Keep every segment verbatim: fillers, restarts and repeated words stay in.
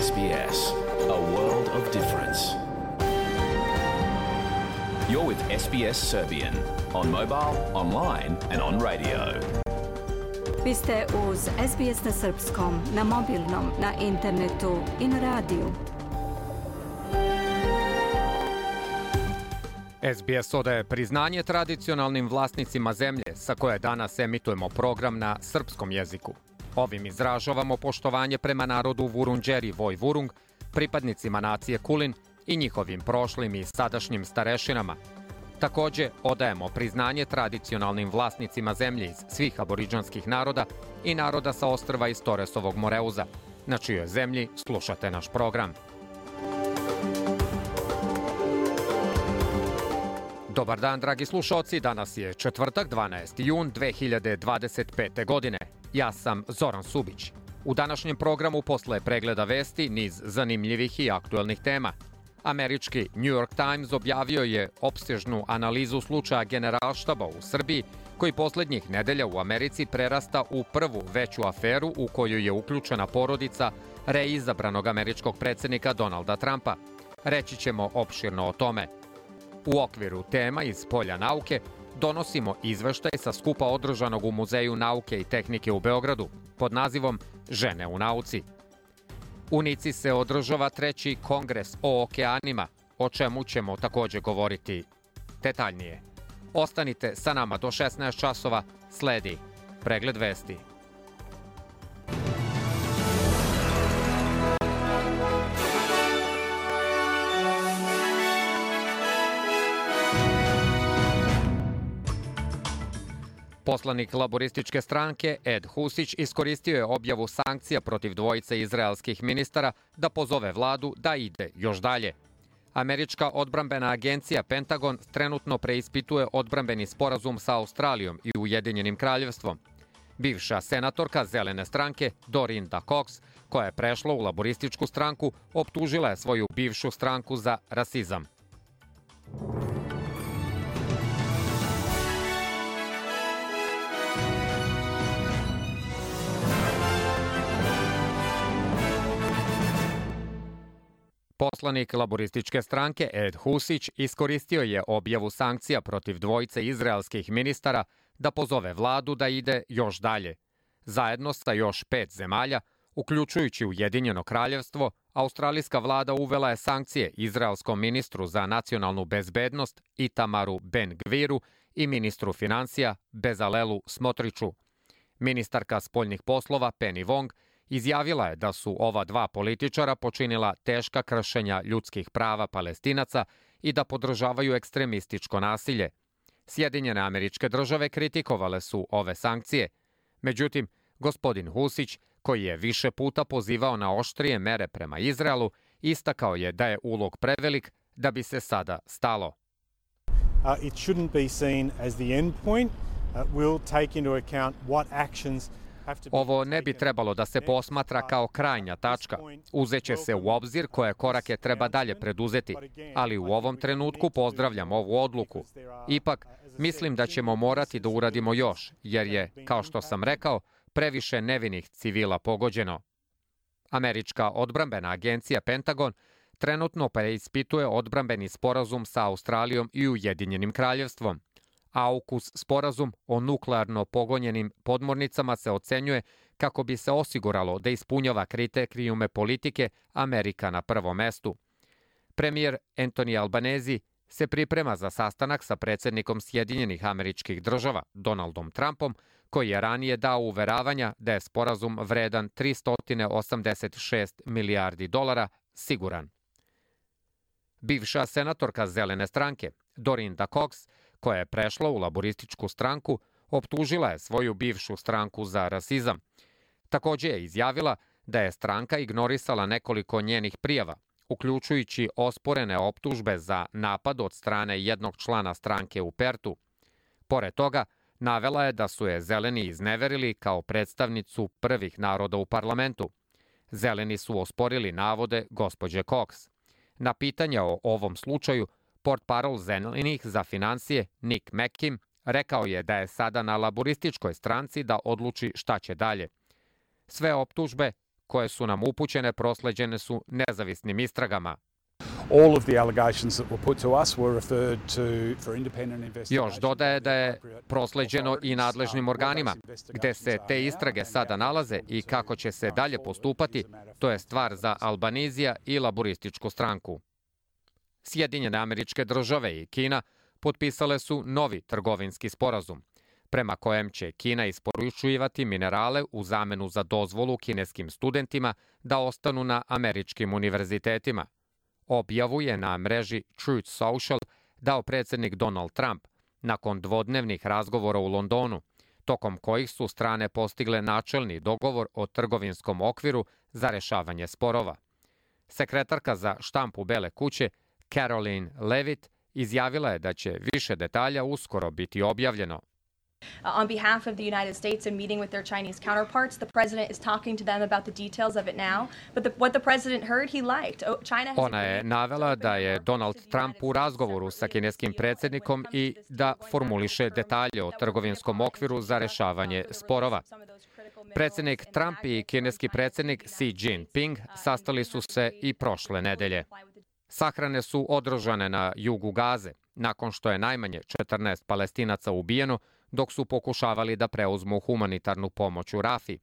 S B S, a world of difference. You're with S B S Serbian on mobile, online and on radio. Vi ste uz S B S na srpskom, na mobilnom, na internetu i na radiju. S B S odaje priznanje tradicionalnim vlasnicima zemlje sa koje danas emitujemo program na srpskom jeziku. Ovim izražavamo poštovanje prema narodu Vurundjeri Vojvurung, pripadnicima nacije Kulin i njihovim prošlim i sadašnjim starešinama. Takođe, odajemo priznanje tradicionalnim vlasnicima zemlje iz svih aboridžanskih naroda i naroda sa ostrva iz Toresovog Moreuza, na čijoj zemlji slušate naš program. Dobar dan, dragi slušaoci, danas je četvrtak, dvanaesti jun dve hiljade dvadeset pete. godine. Ja sam Zoran Subić. U današnjem programu posle pregleda vesti niz zanimljivih i aktuelnih tema. Američki New York Times objavio je opsežnu analizu slučaja Generalštaba u Srbiji, koji poslednjih nedelja u Americi prerasta u prvu veću aferu u koju je uključena porodica reizabranog američkog predsednika Donalda Trumpa. Reći ćemo opširno o tome. U okviru tema iz polja nauke donosimo izveštaj sa skupa održanog u Muzeju nauke i tehnike u Beogradu pod nazivom Žene u nauci. U Nici se održava treći kongres o okeanima, o čemu ćemo takođe govoriti detaljnije. Ostanite sa nama do šesnaest časova, sledi pregled vesti. Poslanik laborističke stranke Ed Husić iskoristio je objavu sankcija protiv dvojice izraelskih ministara da pozove vladu da ide još dalje. Američka odbrambena agencija Pentagon trenutno preispituje odbrambeni sporazum sa Australijom i Ujedinjenim kraljevstvom. Bivša senatorka Zelene stranke Dorinda Cox, koja je prešla u laborističku stranku, optužila je svoju bivšu stranku za rasizam. Poslanik laborističke stranke Ed Husić iskoristio je objavu sankcija protiv dvojice izraelskih ministara da pozove vladu da ide još dalje. Zajedno sa još pet zemalja, uključujući Ujedinjeno kraljevstvo, australijska vlada uvela je sankcije izraelskom ministru za nacionalnu bezbednost Itamaru Ben-Gviru i ministru financija Bezalelu Smotriću. Ministarka spoljnih poslova Penny Wong izjavila je da su ova dva političara počinila teška kršenja ljudskih prava Palestinaca i da podržavaju ekstremističko nasilje. Sjedinjene Američke Države kritikovale su ove sankcije. Međutim, gospodin Husić, koji je više puta pozivao na oštrije mere prema Izraelu, istakao je da je ulog prevelik da bi se sada stalo. Uh, it shouldn't be seen as the end point. Uh, we'll take into account what actions. Ovo ne bi trebalo da se posmatra kao krajnja tačka. Uzeće se u obzir koje korake treba dalje preduzeti, ali u ovom trenutku pozdravljam ovu odluku. Ipak, mislim da ćemo morati da uradimo još, jer je, kao što sam rekao, previše nevinih civila pogođeno. Američka odbrambena agencija Pentagon trenutno preispituje odbrambeni sporazum sa Australijom i Ujedinjenim kraljevstvom. AUKUS sporazum o nuklearno pogonjenim podmornicama se ocenjuje kako bi se osiguralo da ispunjava kriterijume politike Amerika na prvom mestu. Premijer Anthony Albanese se priprema za sastanak sa predsednikom Sjedinjenih Američkih Država, Donaldom Trumpom, koji je ranije dao uveravanja da je sporazum vredan tristo osamdeset šest milijardi dolara siguran. Bivša senatorka Zelene stranke, Dorinda Cox, koja je prešla u laborističku stranku, optužila je svoju bivšu stranku za rasizam. Takođe je izjavila da je stranka ignorisala nekoliko njenih prijava, uključujući osporene optužbe za napad od strane jednog člana stranke u Pertu. Pored toga, navela je da su je Zeleni izneverili kao predstavnicu prvih naroda u parlamentu. Zeleni su osporili navode gospođe Cox. Na pitanje o ovom slučaju, portparol Zelenih za finansije Nick McKim rekao je da je sada na laborističkoj stranci da odluči šta će dalje. Sve optužbe koje su nam upućene prosleđene su nezavisnim istragama. All of the allegations that were put to us were referred to for independent investigation. Još dodaje da je prosleđeno i nadležnim organima, gde se te istrage sada nalaze i kako će se dalje postupati, to je stvar za Albanizija i laborističku stranku. Sjedinjene Američke Države i Kina potpisale su novi trgovinski sporazum, prema kojem će Kina isporučivati minerale u zamenu za dozvolu kineskim studentima da ostanu na američkim univerzitetima. Objavu je na mreži Truth Social dao predsjednik Donald Trump nakon dvodnevnih razgovora u Londonu, tokom kojih su strane postigle načelni dogovor o trgovinskom okviru za rešavanje sporova. Sekretarka za štampu Bele kuće Caroline Levitt izjavila je da će više detalja uskoro biti objavljeno. On behalf of the United States and meeting with their Chinese counterparts, the president is talking to them about the details of it now. But the, what the president heard, he liked. Oh, China has Ona je navela da je Donald Trump u razgovoru sa kineskim predsjednikom i da formuliše detalje o trgovinskom okviru za rešavanje sporova. Predsjednik Trump i kineski predsjednik Xi Jinping sastali su se i prošle nedelje. Sahrane su održane na jugu Gaze, nakon što je najmanje četrnaest Palestinaca ubijeno, dok su pokušavali da preuzmu humanitarnu pomoć u Rafi.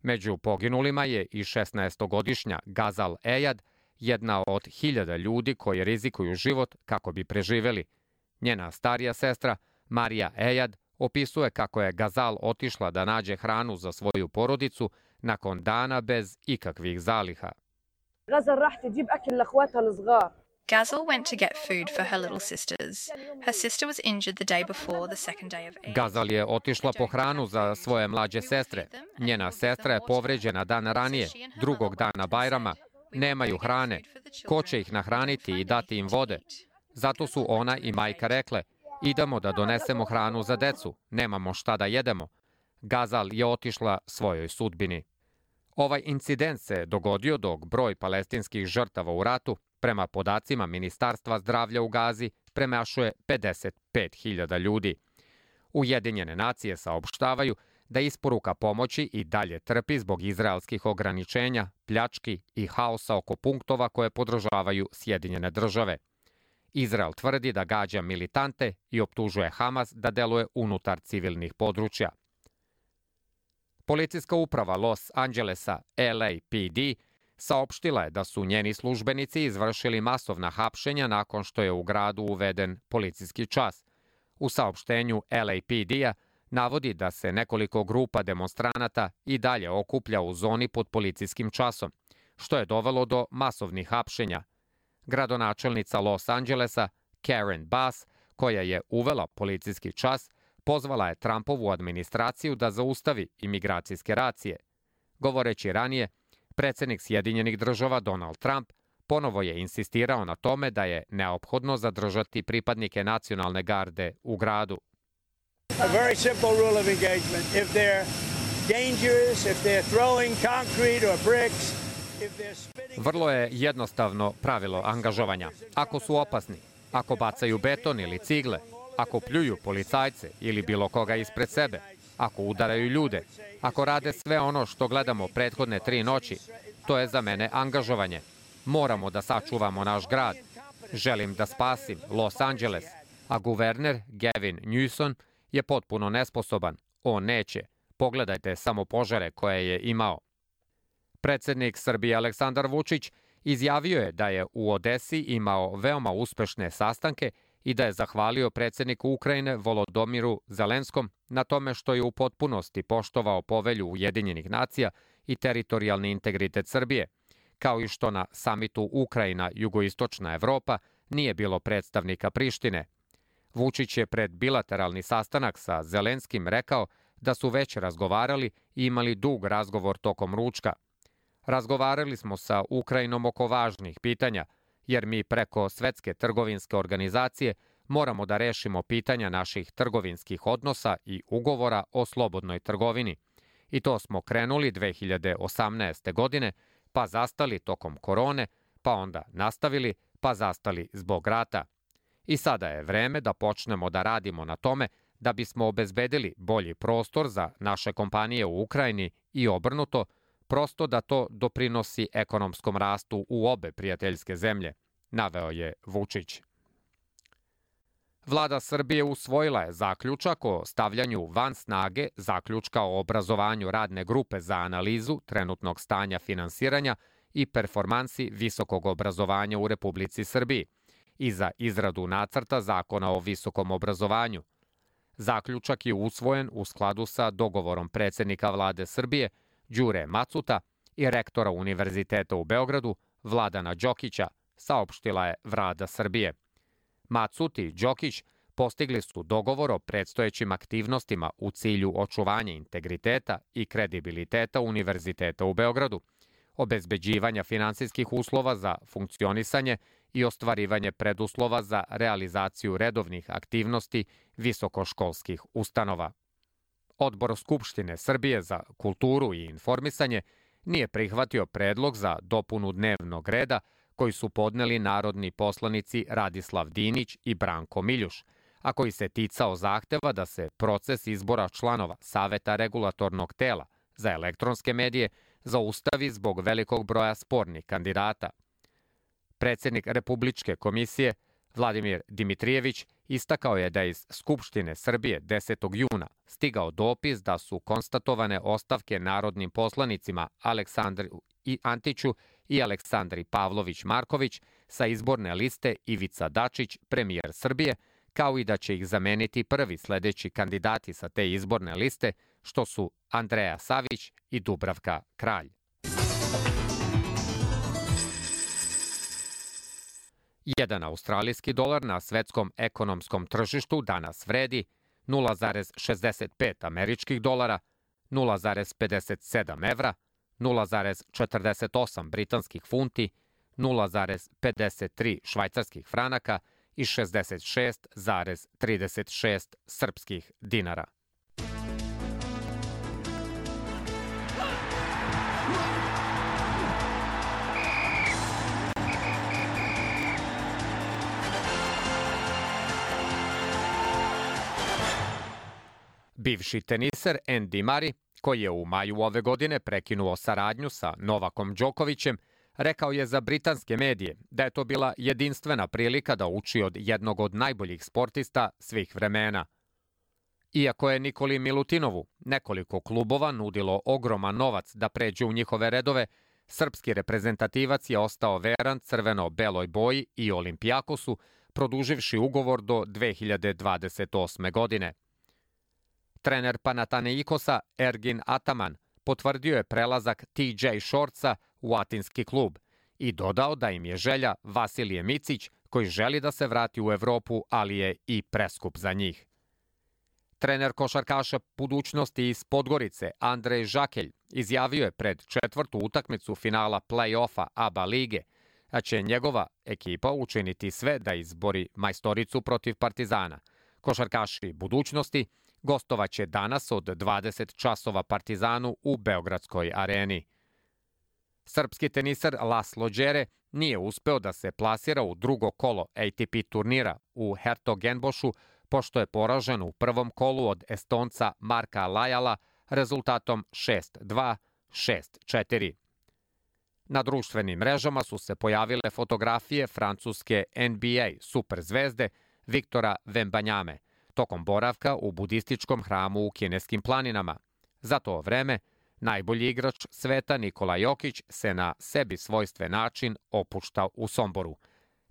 Među poginulima je i šesnaestogodišnja Gazal Ejad, jedna od hiljada ljudi koji rizikuju život kako bi preživeli. Njena starija sestra, Marija Ejad, opisuje kako je Gazal otišla da nađe hranu za svoju porodicu nakon dana bez ikakvih zaliha. Gazal went to get food for her little sisters. Her sister was injured the day before the second day of Eid. Gazal je otišla po hranu za svoje mlađe sestre. Njena sestra je povređena dan ranije, drugog dana Bajrama. Nemaju hrane. Ko će ih nahraniti i dati im vode? Zato su ona i majka rekle, idemo da donesemo hranu za decu, nemamo šta da jedemo. Gazal je otišla svojoj sudbini. Ovaj incident se dogodio dok broj palestinskih žrtava u ratu, prema podacima Ministarstva zdravlja u Gazi, premašuje pedeset pet hiljada ljudi. Ujedinjene nacije saopštavaju da isporuka pomoći i dalje trpi zbog izraelskih ograničenja, pljački i haosa oko punktova koje podržavaju Sjedinjene države. Izrael tvrdi da gađa militante i optužuje Hamas da deluje unutar civilnih područja. Policijska uprava Los Angelesa, L A P D, saopštila je da su njeni službenici izvršili masovna hapšenja nakon što je u gradu uveden policijski čas. U saopštenju L A P D-a navodi da se nekoliko grupa demonstranata i dalje okuplja u zoni pod policijskim časom, što je dovelo do masovnih hapšenja. Gradonačelnica Los Angelesa, Karen Bass, koja je uvela policijski čas, pozvala je Trumpovu administraciju da zaustavi imigracijske racije. Govoreći ranije, predsjednik Sjedinjenih država Donald Trump ponovo je insistirao na tome da je neophodno zadržati pripadnike nacionalne garde u gradu. A very simple rule of engagement. If they're dangerous, if they're throwing concrete or bricks, if they're spitting... Vrlo je jednostavno pravilo angažovanja. Ako su opasni, ako bacaju beton ili cigle, ako pljuju policajce ili bilo koga ispred sebe, ako udaraju ljude, ako rade sve ono što gledamo prethodne tri noći, to je za mene angažovanje. Moramo da sačuvamo naš grad. Želim da spasim Los Angeles, a guverner Gavin Newsom je potpuno nesposoban. On neće. Pogledajte samo požare koje je imao. Predsjednik Srbije Aleksandar Vučić izjavio je da je u Odesi imao veoma uspešne sastanke i da je zahvalio predsjedniku Ukrajine Volodomiru Zelenskom na tome što je u potpunosti poštovao povelju Ujedinjenih nacija i teritorijalni integritet Srbije, kao i što na samitu Ukrajina-Jugoistočna Evropa nije bilo predstavnika Prištine. Vučić je pred bilateralni sastanak sa Zelenskim rekao da su već razgovarali i imali dug razgovor tokom ručka. Razgovarali smo sa Ukrajinom oko važnih pitanja, jer mi preko Svetske trgovinske organizacije moramo da rešimo pitanja naših trgovinskih odnosa i ugovora o slobodnoj trgovini. I to smo krenuli dve hiljade osamnaeste. godine, pa zastali tokom korone, pa onda nastavili, pa zastali zbog rata. I sada je vreme da počnemo da radimo na tome da bismo obezbedili bolji prostor za naše kompanije u Ukrajini i obrnuto, prosto da to doprinosi ekonomskom rastu u obe prijateljske zemlje, naveo je Vučić. Vlada Srbije usvojila je zaključak o stavljanju van snage zaključka o obrazovanju radne grupe za analizu trenutnog stanja finansiranja i performansi visokog obrazovanja u Republici Srbiji i za izradu nacrta zakona o visokom obrazovanju. Zaključak je usvojen u skladu sa dogovorom predsednika vlade Srbije Đure Macuta i rektora Univerziteta u Beogradu Vladana Đokića, saopštila je Vlada Srbije. Macut i Đokić postigli su dogovor o predstojećim aktivnostima u cilju očuvanja integriteta i kredibiliteta Univerziteta u Beogradu, obezbeđivanja finansijskih uslova za funkcionisanje i ostvarivanje preduslova za realizaciju redovnih aktivnosti visokoškolskih ustanova. Odbor Skupštine Srbije za kulturu i informisanje nije prihvatio predlog za dopunu dnevnog reda koji su podneli narodni poslanici Radislav Dinić i Branko Miljuš, a koji se ticao zahteva da se proces izbora članova Saveta regulatornog tela za elektronske medije zaustavi zbog velikog broja spornih kandidata. Predsednik Republičke komisije Vladimir Dimitrijević istakao je da je iz Skupštine Srbije desetog juna stigao dopis da su konstatovane ostavke narodnim poslanicima Aleksandru Antiću i Aleksandri Pavlović-Marković sa izborne liste Ivica Dačić, premijer Srbije, kao i da će ih zameniti prvi sledeći kandidati sa te izborne liste, što su Andreja Savić i Dubravka Kralj. Jedan australijski dolar na svetskom ekonomskom tržištu danas vredi nula zarez šezdeset pet američkih dolara, nula zarez pedeset sedam evra, nula zarez četrdeset osam britanskih funti, nula zarez pedeset tri švajcarskih franaka i šezdeset šest zarez trideset šest srpskih dinara. Bivši teniser Andy Murray, koji je u maju ove godine prekinuo saradnju sa Novakom Đokovićem, rekao je za britanske medije da je to bila jedinstvena prilika da uči od jednog od najboljih sportista svih vremena. Iako je Nikoli Milutinovu nekoliko klubova nudilo ogroman novac da pređe u njihove redove, srpski reprezentativac je ostao veran crveno-beloj boji i Olimpijakosu, produživši ugovor do dve hiljade dvadeset osme. godine. Trener Panathinaikosa Ergin Ataman potvrdio je prelazak T J Shortsa u atinski klub i dodao da im je želja Vasilije Micić, koji želi da se vrati u Evropu, ali je i preskup za njih. Trener košarkaša budućnosti iz Podgorice Andrej Žakelj izjavio je pred četvrtu utakmicu finala play-offa A B A lige, a će njegova ekipa učiniti sve da izbori majstoricu protiv Partizana. Košarkaši budućnosti gostovaće danas od dvadeset časova Partizanu u Beogradskoj areni. Srpski teniser Laslo Đere nije uspeo da se plasira u drugo kolo A T P turnira u Hertogenbošu, pošto je poražen u prvom kolu od Estonca Marka Lajala rezultatom šest dva, šest četiri. Na društvenim mrežama su se pojavile fotografije francuske N B A superzvezde Viktora Vembanjame tokom boravka u budističkom hramu u kineskim planinama. Za to vreme, najbolji igrač sveta Nikola Jokić se na sebi svojstven način opušta u Somboru.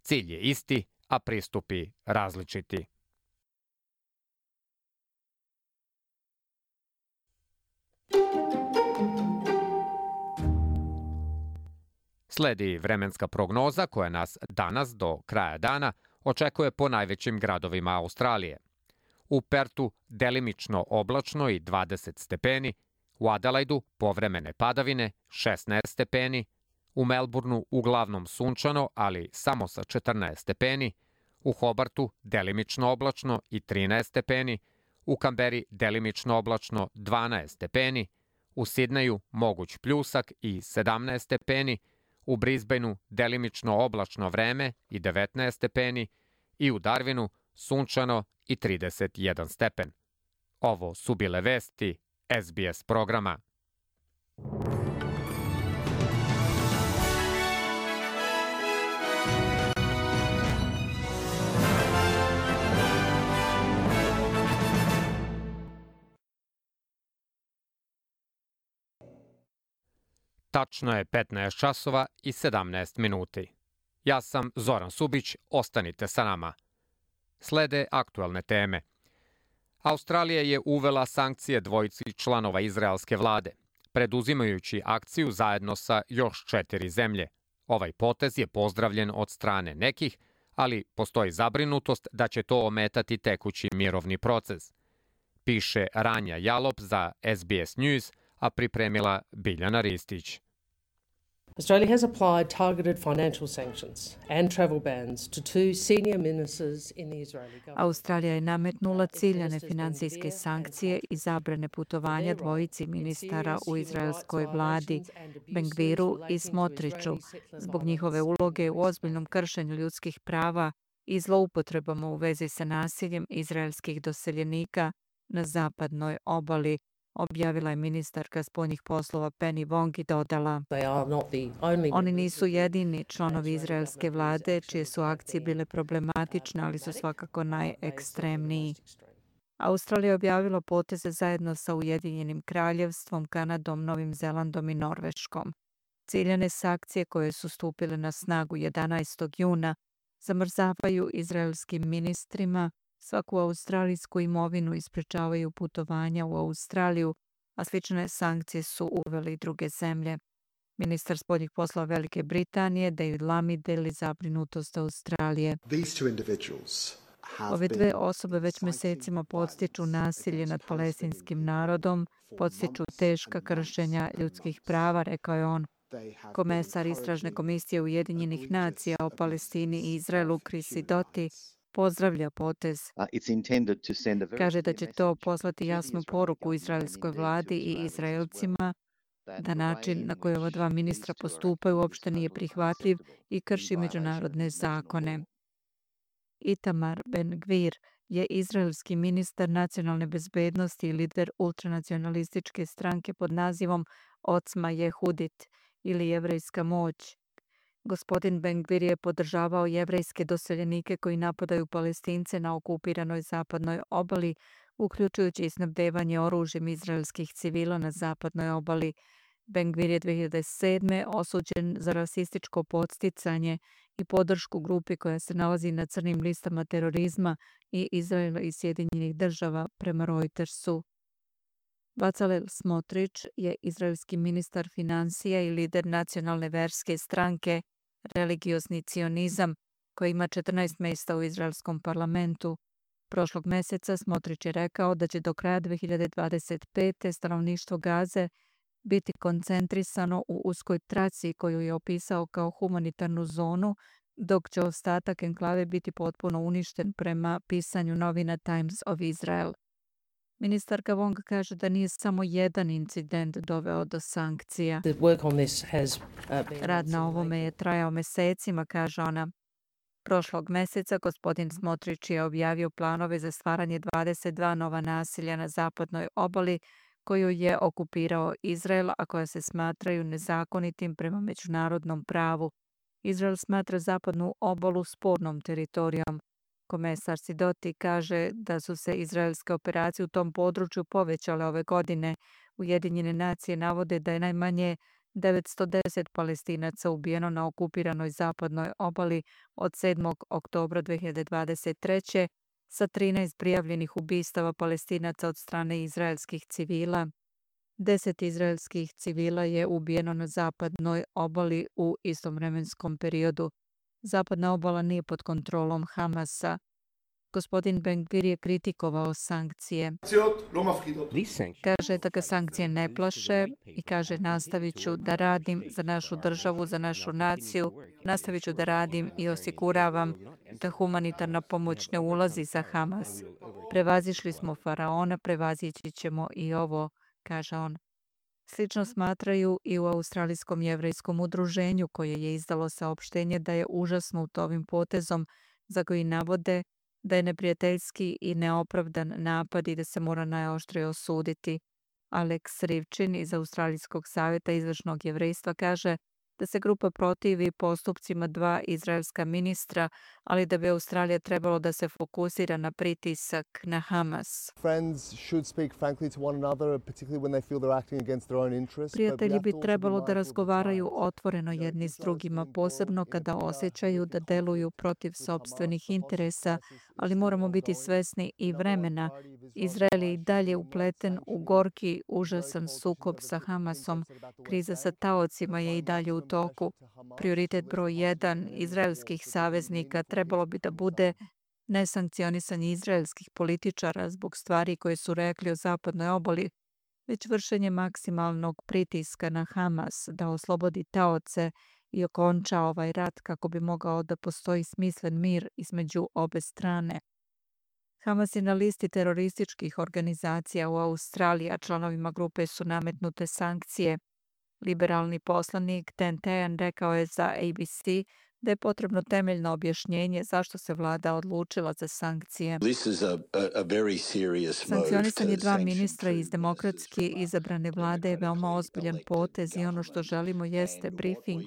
Cilj je isti, a pristupi različiti. Sledi vremenska prognoza koja nas danas do kraja dana očekuje po najvećim gradovima Australije. U Pertu delimično oblačno i dvadeset stepeni, u Adelaidu povremene padavine šesnaest stepeni, u Melbourneu uglavnom sunčano, ali samo sa četrnaest stepeni, u Hobartu delimično oblačno i trinaest stepeni, u Kamberi delimično oblačno dvanaest stepeni, u Sidneju moguć pljusak i sedamnaest stepeni, u Brisbaneu delimično oblačno vreme i devetnaest stepeni i u Darwinu sunčano i trideset jedan stepen. Ovo su bile vesti S B S programa. Tačno je petnaest časova i sedamnaest minuti. Ja sam Zoran Subić, ostanite sa nama. Slede aktuelne teme. Australija je uvela sankcije dvojici članova izraelske vlade, preduzimajući akciju zajedno sa još četiri zemlje. Ovaj potez je pozdravljen od strane nekih, ali postoji zabrinutost da će to ometati tekući mirovni proces. Piše Ranja Jalop za S B S News, a pripremila Biljana Ristić. Australia has applied targeted financial sanctions and travel bans to two senior ministers in the Israeli government. Australija je nametnula ciljane finansijske sankcije i zabrane putovanja dvojici ministara u izraelskoj vladi, Ben-Gviru i Smotriću, zbog njihove uloge u ozbiljnom kršenju ljudskih prava i zloupotrebama u vezi sa nasiljem izraelskih doseljenika na zapadnoj obali, objavila je ministarka spoljnih poslova Penny Wong i dodala: Oni nisu jedini članovi izraelske vlade čije su akcije bile problematične, ali su svakako najekstremniji. Australija je objavila poteze zajedno sa Ujedinjenim kraljevstvom, Kanadom, Novim Zelandom i Norveškom. Ciljane sankcije koje su stupile na snagu jedanaestog juna zamrzavaju izraelskim ministrima svaku australijsku imovinu i sprečavaju putovanja u Australiju, a slične sankcije su uveli druge zemlje. Ministar spoljnih poslova Velike Britanije David Lammy deli zabrinutost Australije. Ove dve osobe već mesecima podstiču nasilje nad palestinskim narodom, podstiču teška kršenja ljudskih prava, rekao je on. Komesar Istražne komisije Ujedinjenih nacija o Palestini i Izraelu Chris Sidoti pozdravlja potez. Kaže da će to poslati jasnu poruku izraelskoj vladi i Izraelcima da način na koji ova dva ministra postupaju uopšte nije prihvatljiv i krši međunarodne zakone. Itamar Ben-Gvir je izraelski ministar nacionalne bezbednosti i lider ultranacionalističke stranke pod nazivom Ocma Jehudit ili Jevrejska moć. Gospodin Ben-Gvir je podržavao jevrejske doseljenike koji napadaju Palestince na okupiranoj zapadnoj obali, uključujući i snabdevanje oružjem izraelskih civila na zapadnoj obali. Ben-Gvir je dve hiljade sedme. osuđen za rasističko podsticanje i podršku grupi koja se nalazi na crnim listama terorizma i Izraela i Sjedinjenih država prema Reutersu. Bezalel Smotrić je izraelski ministar finansija i lider nacionalne verske stranke Religiozni cionizam, koji ima četrnaest mesta u izraelskom parlamentu. Prošlog meseca Smotrić je rekao da će do kraja dve hiljade dvadeset pete. stanovništvo Gaze biti koncentrisano u uskoj traci koju je opisao kao humanitarnu zonu, dok će ostatak enklave biti potpuno uništen prema pisanju novina Times of Israel. Ministarka Wong kaže da nije samo jedan incident doveo do sankcija. Rad na ovome je trajao mesecima, kaže ona. Prošlog meseca gospodin Smotrić je objavio planove za stvaranje dvadeset dva nova naselja na zapadnoj obali koju je okupirao Izrael, a koja se smatraju nezakonitim prema međunarodnom pravu. Izrael smatra zapadnu obalu spornom teritorijom. Komesar Sidoti kaže da su se izraelske operacije u tom području povećale ove godine. Ujedinjene nacije navode da je najmanje devetsto deset Palestinaca ubijeno na okupiranoj zapadnoj obali od sedmog oktobra dve hiljade dvadeset treće. sa trinaest prijavljenih ubistava Palestinaca od strane izraelskih civila. Deset izraelskih civila je ubijeno na zapadnoj obali u istom vremenskom periodu. Zapadna obala nije pod kontrolom Hamasa. Gospodin Ben-Gvir je kritikovao sankcije. Kaže da ga sankcije ne plaše i kaže nastavit ću da radim za našu državu, za našu naciju, nastavit ću da radim i osiguravam da humanitarna pomoć ne ulazi za Hamas. Prevazišli smo faraona, prevazići ćemo i ovo, kaže on. Slično smatraju i u Australijskom jevrejskom udruženju koje je izdalo saopštenje da je užasnuto ovim potezom za koji navode da je neprijateljski i neopravdan napad i da se mora najoštrije osuditi. Alex Rivčin iz Australijskog savjeta izvršnog jevrejstva kaže da se grupa protivi postupcima dva izraelska ministra, ali da bi Australija trebalo da se fokusira na pritisak na Hamas. Prijatelji bi trebalo da razgovaraju otvoreno jedni s drugima, posebno kada osjećaju da deluju protiv sopstvenih interesa, ali moramo biti svesni i vremena. Izrael je i dalje upleten u gorki, užasan sukob sa Hamasom. Kriza sa taocima je i dalje u toku. Prioritet broj jedan izraelskih saveznika trebalo bi da bude nesankcionisanje izraelskih političara zbog stvari koje su rekli o zapadnoj obali, već vršenje maksimalnog pritiska na Hamas da oslobodi taoce i okonča ovaj rat kako bi mogao da postoji smislen mir između obe strane. Hamas je na listi terorističkih organizacija u Australiji, a članovima grupe su nametnute sankcije. Liberalni poslanik Dan Tehan rekao je za A B C da je potrebno temeljno objašnjenje zašto se vlada odlučila za sankcije. Sankcionisanje dva ministra iz demokratski izabrane vlade je veoma ozbiljan potez i ono što želimo jeste briefing.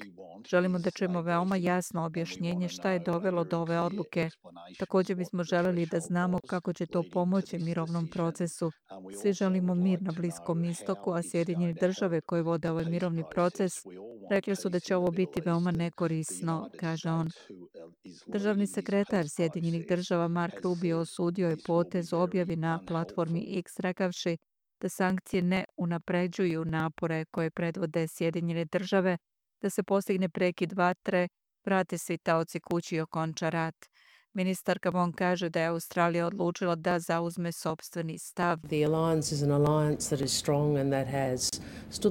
Želimo da čujemo veoma jasno objašnjenje šta je dovelo do ove odluke. Također bismo želeli da znamo kako će to pomoći mirovnom procesu. Svi želimo mir na Bliskom istoku, a Sjedinjene države koje vode ovaj mirovni proces rekli su da će ovo biti veoma nekorisno, kaže on. Državni sekretar Sjedinjenih država Mark Rubio osudio je potez u objavi na platformi X rekavši da sankcije ne unapređuju napore koje predvode Sjedinjene države, da se postigne prekid vatre, vrate svi taoci kući i okonča rat. Ministarka Wong kaže da je Australija odlučila da zauzme sopstveni stav.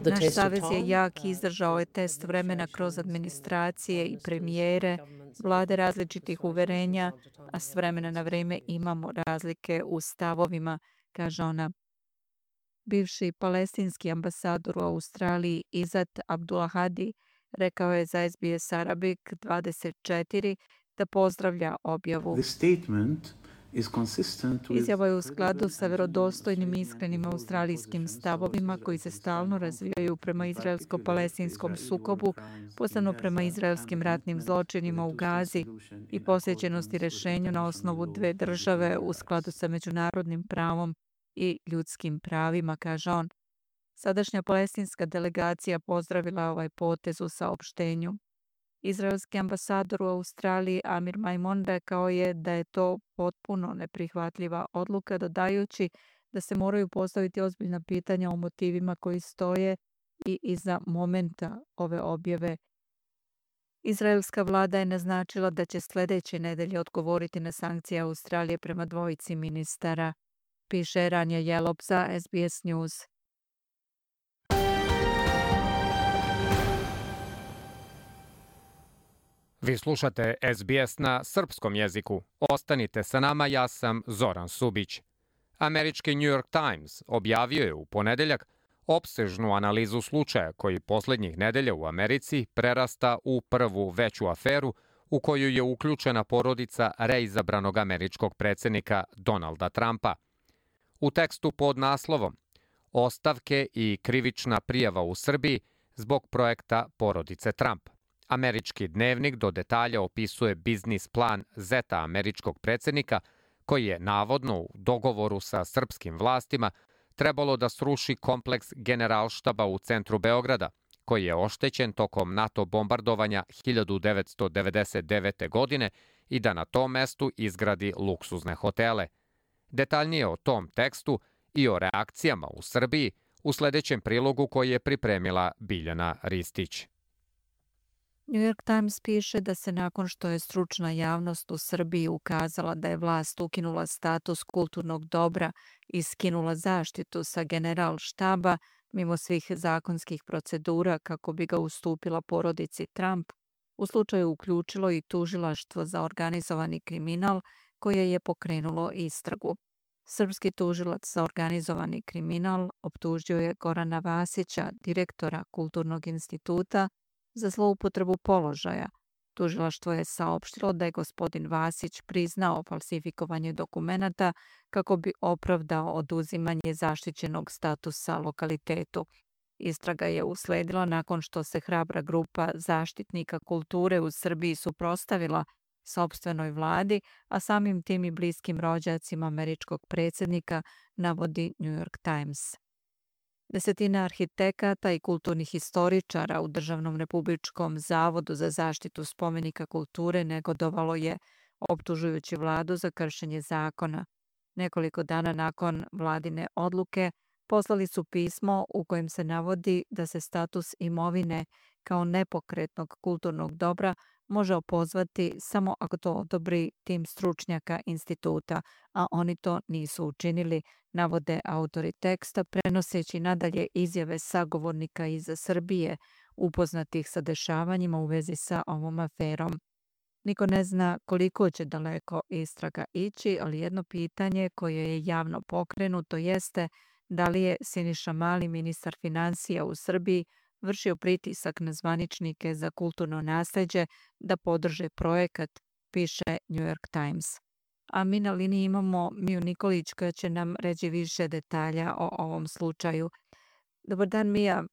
Naš savez je jak i izdržao je test vremena kroz administracije i premijere, vlade različitih uverenja, a s vremena na vreme imamo razlike u stavovima, kaže ona. Bivši palestinski ambasador u Australiji Izat Abdulahadi rekao je za S B S Arabic dvadeset četiri da pozdravlja objavu. Izjava je u skladu sa verodostojnim i iskrenim australijskim stavovima koji se stalno razvijaju prema izraelsko-palestinskom sukobu, posebno prema izraelskim ratnim zločinima u Gazi i posvećenosti rešenju na osnovu dve države u skladu sa međunarodnim pravom i ljudskim pravima, kaže on. Sadašnja palestinska delegacija pozdravila ovaj potez u saopštenju. Izraelski ambasador u Australiji Amir Maimon rekao je da je to potpuno neprihvatljiva odluka, dodajući da se moraju postaviti ozbiljna pitanja o motivima koji stoje i iza momenta ove objave. Izraelska vlada je naznačila da će sljedeće nedelje odgovoriti na sankcije Australije prema dvojici ministara, piše Ranja Jelop za S B S News. Vi slušate S B S na srpskom jeziku. Ostanite sa nama, ja sam Zoran Subić. Američki New York Times objavio je u ponedeljak opsežnu analizu slučaja koji posljednjih nedelja u Americi prerasta u prvu veću aferu u koju je uključena porodica reizabranog američkog predsjednika Donalda Trumpa. U tekstu pod naslovom Ostavke i krivična prijava u Srbiji zbog projekta porodice Trump, Američki dnevnik do detalja opisuje biznis plan zeta američkog predsjednika koji je navodno u dogovoru sa srpskim vlastima trebalo da sruši kompleks Generalštaba u centru Beograda, koji je oštećen tokom NATO bombardovanja hiljadu devetsto devedeset devete. godine i da na tom mestu izgradi luksuzne hotele. Detaljnije o tom tekstu i o reakcijama u Srbiji u sljedećem prilogu koji je pripremila Biljana Ristić. New York Times piše da se nakon što je stručna javnost u Srbiji ukazala da je vlast ukinula status kulturnog dobra i skinula zaštitu sa Generalštaba mimo svih zakonskih procedura kako bi ga ustupila porodici Trump, u slučaju uključilo i tužilaštvo za organizovani kriminal koje je pokrenulo istragu. Srpski tužilac za organizovani kriminal optužio je Gorana Vasića, direktora Kulturnog instituta, za zloupotrebu položaja. Tužilaštvo je saopštilo da je gospodin Vasić priznao falsifikovanje dokumenata kako bi opravdao oduzimanje zaštićenog statusa lokalitetu. Istraga je usledila nakon što se hrabra grupa zaštitnika kulture u Srbiji suprotstavila sopstvenoj vladi, a samim tim i bliskim rođacima američkog predsjednika, navodi New York Times. Desetina arhitekata i kulturnih historičara u Državnom republičkom zavodu za zaštitu spomenika kulture negodovalo je, optužujući vladu za kršenje zakona. Nekoliko dana nakon vladine odluke poslali su pismo u kojem se navodi da se status imovine kao nepokretnog kulturnog dobra može opozvati samo ako to odobri tim stručnjaka instituta, a oni to nisu učinili, navode autori teksta, prenoseći nadalje izjave sagovornika iz Srbije upoznatih sa dešavanjima u vezi sa ovom aferom. Niko ne zna koliko će daleko istraga ići, ali jedno pitanje koje je javno pokrenuto jeste da li je Siniša Mali, ministar finansija u Srbiji, vršio pritisak na zvaničnike za kulturno nasleđe da podrže projekat, piše New York Times. A mi na liniji imamo Miju Nikolić koja će nam reći više detalja o ovom slučaju. Dobar dan, Mija.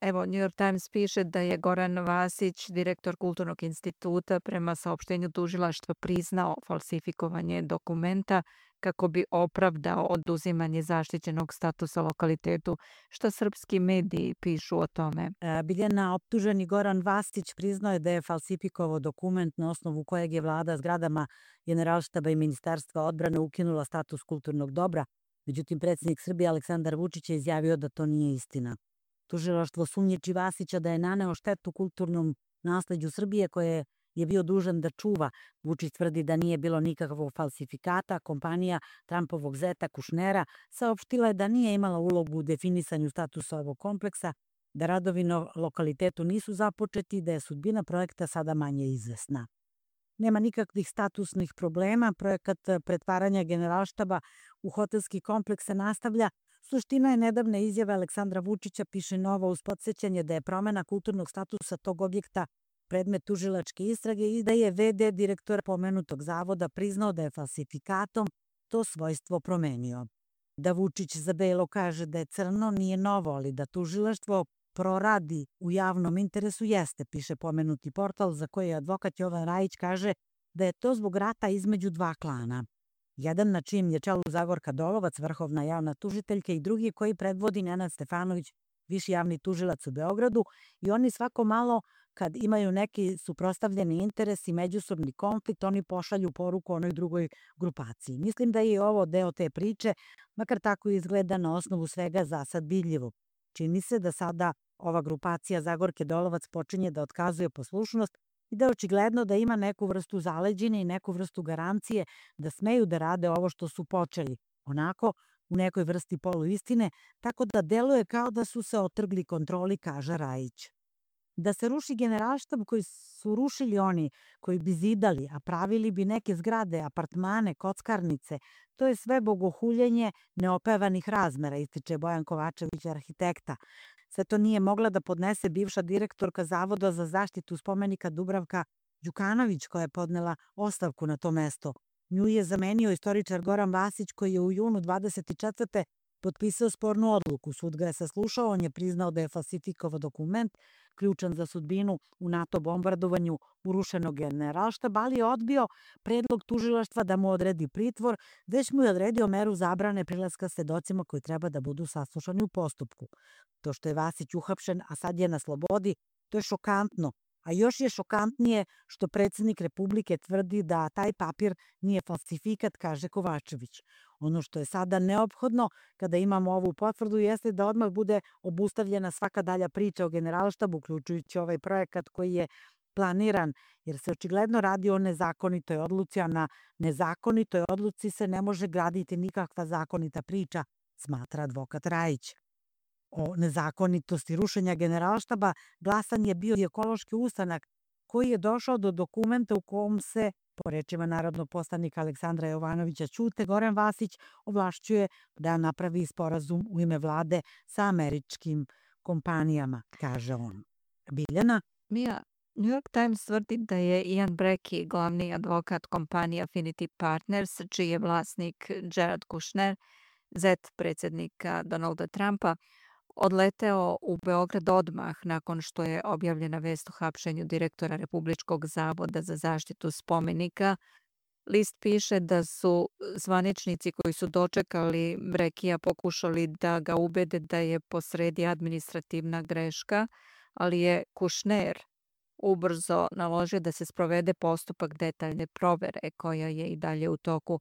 Evo, New York Times piše da je Goran Vasić, direktor Kulturnog instituta, prema saopštenju tužilaštva priznao falsifikovanje dokumenta kako bi opravdao oduzimanje zaštićenog statusa lokalitetu. Šta srpski mediji pišu o tome? Biljana, optuženi Goran Vasić priznao je da je falsifikovao dokument na osnovu kojeg je vlada zgradama Generalštaba i Ministarstva odbrane ukinula status kulturnog dobra. Međutim, predsjednik Srbije Aleksandar Vučić je izjavio da to nije istina. Tužilaštvo sumnjiči Vasića da je naneo štetu kulturnom nasleđu Srbije koje je bio dužan da čuva. Vučić tvrdi da nije bilo nikakvog falsifikata. Kompanija Trumpovog zeta Kušnera saopštila je da nije imala ulogu u definisanju statusa ovog kompleksa, da radovi na lokalitetu nisu započeti i da je sudbina projekta sada manje izvesna. Nema nikakvih statusnih problema. Projekat pretvaranja Generalštaba u hotelski kompleks se nastavlja. Suština je nedavne izjave Aleksandra Vučića, piše Nova, uz podsjećanje da je promena kulturnog statusa tog objekta predmet tužilačke istrage i da je ve de direktora pomenutog zavoda priznao da je falsifikatom to svojstvo promenio. Da Vučić za belo kaže da je crno nije novo, ali da tužilaštvo proradi u javnom interesu jeste, piše pomenuti portal za koji advokat Jovan Rajić kaže da je to zbog rata između dva klana. Jedan na čijem je čelu Zagorka Dolovac, vrhovna javna tužiteljka, i drugi koji predvodi Nenad Stefanović, viši javni tužilac u Beogradu, i oni svako malo kad imaju neki suprotstavljeni interes i međusobni konflikt, oni pošalju poruku onoj drugoj grupaciji. Mislim da je ovo deo te priče, makar tako izgleda na osnovu svega za sad vidljivo. Čini se da sada ova grupacija Zagorke Dolovac počinje da otkazuje poslušnost i da je očigledno da ima neku vrstu zaleđine i neku vrstu garancije da smeju da rade ovo što su počeli, onako u nekoj vrsti poluistine, tako da deluje kao da su se otrgli kontroli, kaže Rajić. Da se ruši Generalštab koji su rušili oni koji bi zidali, a pravili bi neke zgrade, apartmane, kockarnice, to je sve bogohuljenje neopevanih razmera, ističe Bojan Kovačević, arhitekta. Sve to nije mogla da podnese bivša direktorka Zavoda za zaštitu spomenika Dubravka Đukanović, koja je podnela ostavku na to mesto. Nju je zamenio istoričar Goran Vasić, koji je u junu dvadeset četvrte potpisao spornu odluku. Sud ga je saslušao, on je priznao da je falsifikovao dokument, ključan za sudbinu u NATO bombardovanju urušenog Generalštaba, ali je odbio predlog tužilaštva da mu odredi pritvor, već mu je odredio meru zabrane prilaska svedocima koji treba da budu saslušani u postupku. To što je Vasić uhapšen, a sad je na slobodi, to je šokantno. A još je šokantnije što predsjednik Republike tvrdi da taj papir nije falsifikat, kaže Kovačević. Ono što je sada neophodno kada imamo ovu potvrdu jeste da odmah bude obustavljena svaka dalja priča o Generalštabu, uključujući ovaj projekat koji je planiran, jer se očigledno radi o nezakonitoj odluci, a na nezakonitoj odluci se ne može graditi nikakva zakonita priča, smatra advokat Rajić. O nezakonitosti rušenja Generalštaba glasan je bio i ekološki ustanak koji je došao do dokumenta u kom se, po rečima narodnog poslanika Aleksandra Jovanovića Ćute, Goran Vasić ovlašćuje da napravi sporazum u ime vlade sa američkim kompanijama, kaže on. Biljana? Mija, New York Times tvrdi da je Ian Brecky, glavni advokat kompanije Affinity Partners, čiji je vlasnik Jared Kushner, zet predsjednika Donalda Trumpa, odleteo u Beograd odmah nakon što je objavljena vest o hapšenju direktora Republičkog zavoda za zaštitu spomenika. List piše da su zvaničnici koji su dočekali Brekija pokušali da ga ubede da je posredi administrativna greška, ali je Kušner ubrzo naložio da se sprovede postupak detaljne provere koja je i dalje u toku.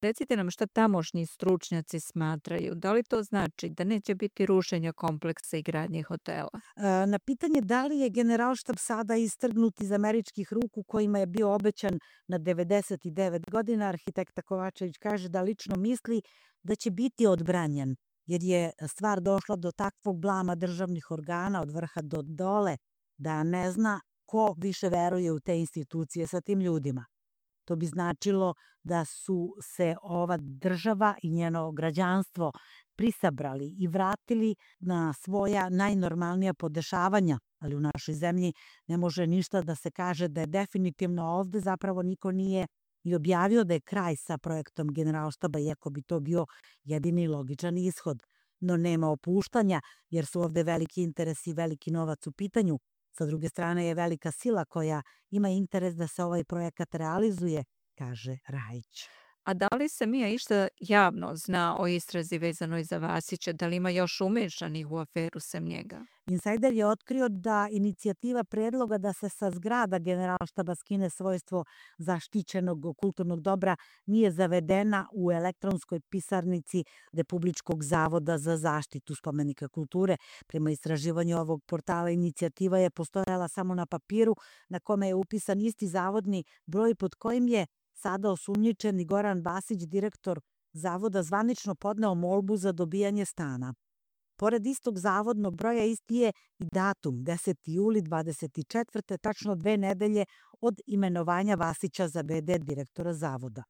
Recite nam šta tamošnji stručnjaci smatraju. Da li to znači da neće biti rušenja kompleksa i gradnje hotela? E, Na pitanje da li je Generalštab sada istrgnut iz američkih ruku kojima je bio obećan na devedeset devet godina, arhitekta Kovačević kaže da lično misli da će biti odbranjen, jer je stvar došla do takvog blama državnih organa od vrha do dole, da ne zna ko više veruje u te institucije sa tim ljudima. To bi značilo da su se ova država i njeno građanstvo prisabrali i vratili na svoja najnormalnija podešavanja, ali u našoj zemlji ne može ništa da se kaže da je definitivno ovde, zapravo niko nije i objavio da je kraj sa projektom Generalštaba, iako bi to bio jedini logičan ishod. No nema opuštanja, jer su ovde veliki interesi i veliki novac u pitanju. Sa druge strane je velika sila koja ima interes da se ovaj projekat realizuje, kaže Rajić. A da li se Mija išta javno zna o istrazi vezanoj za Vasića? Da li ima još umešanih u aferu sem njega? Insajder je otkrio da inicijativa predloga da se sa zgrada Generalštaba skine svojstvo zaštićenog kulturnog dobra nije zavedena u elektronskoj pisarnici Republičkog zavoda za zaštitu spomenika kulture. Prema istraživanju ovog portala, inicijativa je postojala samo na papiru na kome je upisan isti zavodni broj pod kojim je sada osumnjičeni Goran Vasić, direktor zavoda, zvanično podneo molbu za dobijanje stana. Pored istog zavodnog broja isti je i datum, deseti juli dvadeset četvrte tačno dve nedelje od imenovanja Vasića za v d direktora zavoda.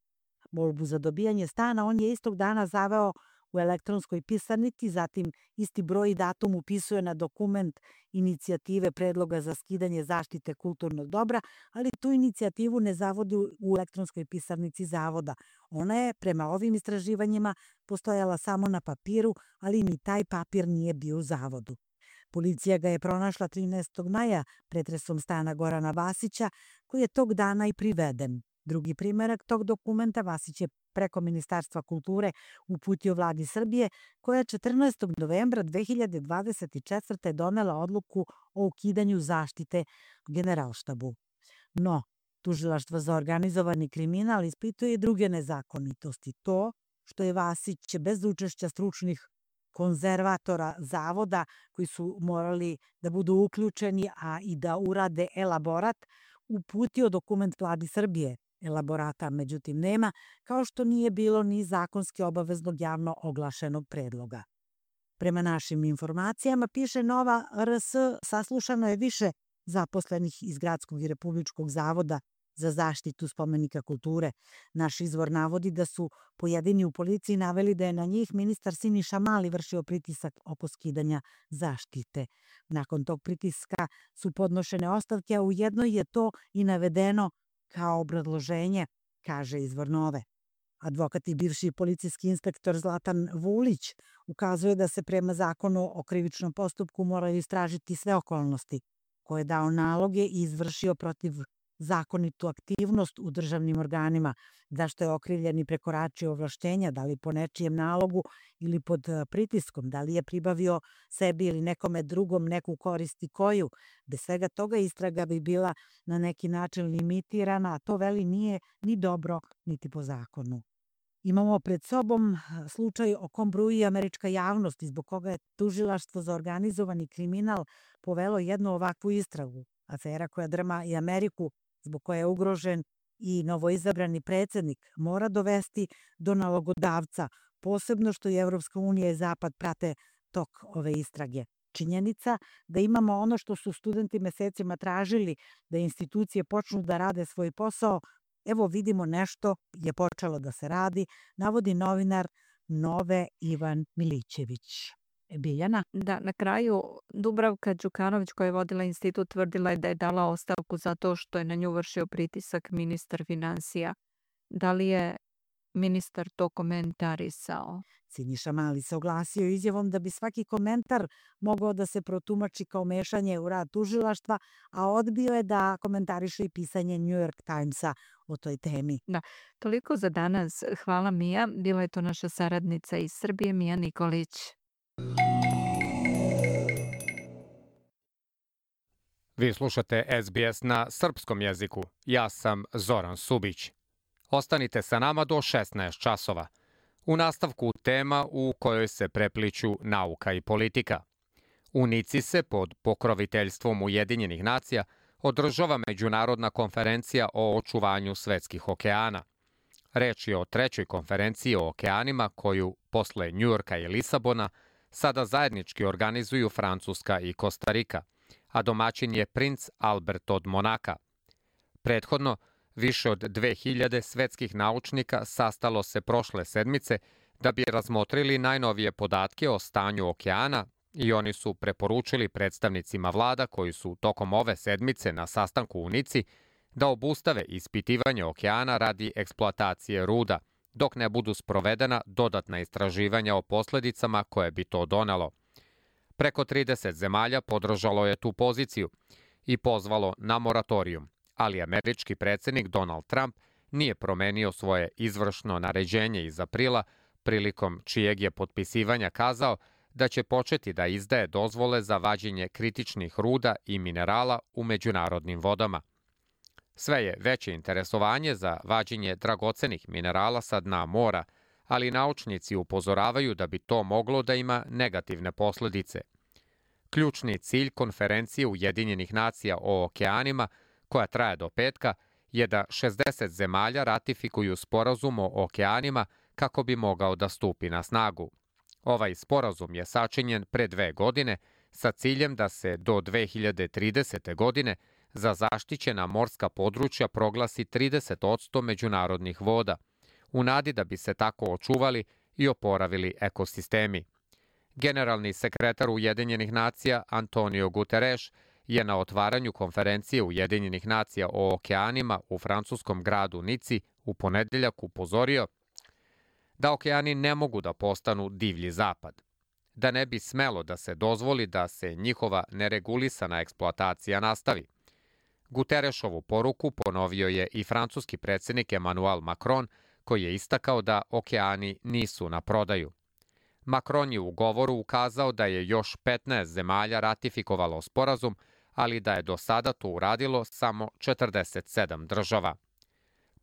Molbu za dobijanje stana on je istog dana zaveo u elektronskoj pisarnici, zatim isti broj i datum upisuje na dokument inicijative predloga za skidanje zaštite kulturnog dobra, ali tu inicijativu ne zavodi u elektronskoj pisarnici zavoda. Ona je, prema ovim istraživanjima, postojala samo na papiru, ali ni taj papir nije bio u zavodu. Policija ga je pronašla trinaestog maja pretresom stana Gorana Vasića, koji je tog dana i priveden. Drugi primerak tog dokumenta Vasić je preko Ministarstva kulture uputio vladi Srbije, koja četrnaestog novembra dve hiljade dvadeset četvrte donela odluku o ukidanju zaštite Generalštabu. No, Tužilaštvo za organizovani kriminal ispituje i druge nezakonitosti. To što je Vasić bez učešća stručnih konzervatora zavoda koji su morali da budu uključeni, a i da urade elaborat, uputio dokument vladi Srbije. Elaborata, međutim, nema, kao što nije bilo ni zakonski obaveznog javno oglašenog predloga. Prema našim informacijama, piše Nova R S, saslušano je više zaposlenih iz Gradskog i Republičkog zavoda za zaštitu spomenika kulture. Naš izvor navodi da su pojedini u policiji naveli da je na njih ministar Siniša Mali vršio pritisak oko skidanja zaštite. Nakon tog pritiska su podnošene ostavke, a ujedno je to i navedeno kao obrazloženje, kaže izvor Nove. Advokat i bivši policijski inspektor Zlatan Vulić ukazuje da se prema zakonu o krivičnom postupku moraju istražiti sve okolnosti koje je dao naloge i izvršio protiv zakonitu aktivnost u državnim organima, zašto je okrivljeni prekoračio ovlaštenja, da li po nečijem nalogu ili pod pritiskom, da li je pribavio sebi ili nekome drugom neku korist i koju. Bez svega toga istraga bi bila na neki način limitirana, a to veli nije ni dobro niti po zakonu. Imamo pred sobom slučaj o kom bruji američka javnost i zbog koga je Tužilaštvo za organizovani kriminal povelo jednu ovakvu istragu. Afera koja drma i Ameriku, zbog koje je ugrožen i novoizabrani predsednik, mora dovesti do nalogodavca, posebno što i Evropska unija i Zapad prate tok ove istrage. Činjenica da imamo ono što su studenti mesecima tražili, da institucije počnu da rade svoj posao, evo vidimo nešto je počelo da se radi, navodi novinar Nove Ivan Milićević. Biljana? Da, na kraju Dubravka Đukanović, koja je vodila institut, tvrdila je da je dala ostavku zato što je na nju vršio pritisak ministar finansija. Da li je ministar to komentarisao? Siniša Mali se oglasio izjavom da bi svaki komentar mogao da se protumači kao mešanje u rad tužilaštva, a odbio je da komentariše i pisanje New York Timesa o toj temi. Da, toliko za danas. Hvala Mija. Bila je to naša saradnica iz Srbije, Mija Nikolić. Vi slušate S B S na srpskom jeziku. Ja sam Zoran Subić. Ostanite sa nama do šesnaest časova. U nastavku tema u kojoj se prepliću nauka i politika. U Nici se pod pokroviteljstvom Ujedinjenih nacija održava međunarodna konferencija o očuvanju svetskih okeana. Reč je o trećoj konferenciji o okeanima koju, posle Njujorka i Lisabona, sada zajednički organizuju Francuska i Kostarika, a domaćin je princ Albert od Monaka. Prethodno, više od dve hiljade svetskih naučnika sastalo se prošle sedmice da bi razmotrili najnovije podatke o stanju okeana i oni su preporučili predstavnicima vlada koji su tokom ove sedmice na sastanku u Nici da obustave ispitivanje okeana radi eksploatacije ruda, dok ne budu sprovedena dodatna istraživanja o posledicama koje bi to donelo. Preko trideset zemalja podržalo je tu poziciju i pozvalo na moratorijum, ali američki predsjednik Donald Trump nije promenio svoje izvršno naređenje iz aprila, prilikom čijeg je potpisivanja kazao da će početi da izdaje dozvole za vađenje kritičnih ruda i minerala u međunarodnim vodama. Sve je veće interesovanje za vađenje dragocenih minerala sa dna mora, ali naučnici upozoravaju da bi to moglo da ima negativne posledice. Ključni cilj konferencije Ujedinjenih nacija o okeanima, koja traje do petka, je da šezdeset zemalja ratifikuju sporazum o okeanima kako bi mogao da stupi na snagu. Ovaj sporazum je sačinjen pre dve godine sa ciljem da se do dve hiljade tridesete. godine za zaštićena morska područja proglasi trideset posto međunarodnih voda, u nadi da bi se tako očuvali i oporavili ekosistemi. Generalni sekretar Ujedinjenih nacija Antonio Guterres je na otvaranju konferencije Ujedinjenih nacija o okeanima u francuskom gradu Nici u ponedeljak upozorio da okeani ne mogu da postanu divlji zapad, da ne bi smelo da se dozvoli da se njihova neregulisana eksploatacija nastavi. Guterresovu poruku ponovio je i francuski predsjednik Emmanuel Macron, koji je istakao da okeani nisu na prodaju. Macron je u govoru ukazao da je još petnaest zemalja ratifikovalo sporazum, ali da je do sada to uradilo samo četrdeset sedam država.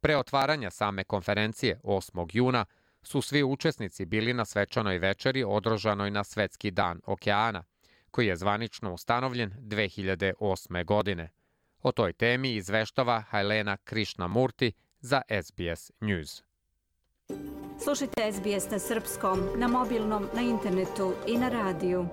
Pre otvaranja same konferencije osmog juna su svi učesnici bili na svečanoj večeri održanoj na Svetski dan okeana, koji je zvanično ustanovljen dve hiljade osme. godine. O toj temi izveštava Helena Krishnamurti za S B S News. Slušajte S B S na srpskom, na mobilnom, na internetu i na radiju.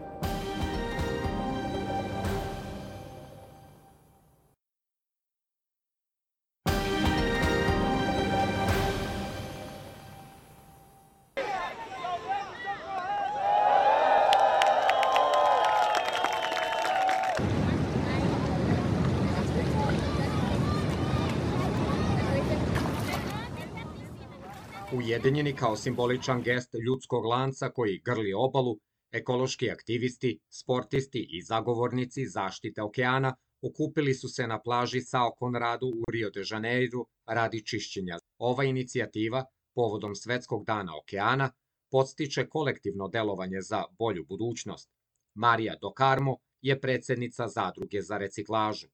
Ujedinjeni kao simboličan gest ljudskog lanca koji grli obalu, ekološki aktivisti, sportisti i zagovornici zaštite okeana okupili su se na plaži Sao Conradu u Rio de Janeiru radi čišćenja. Ova inicijativa, povodom Svetskog dana okeana, podstiče kolektivno delovanje za bolju budućnost. Marija Do Carmo je predsjednica Zadruge za reciklažu.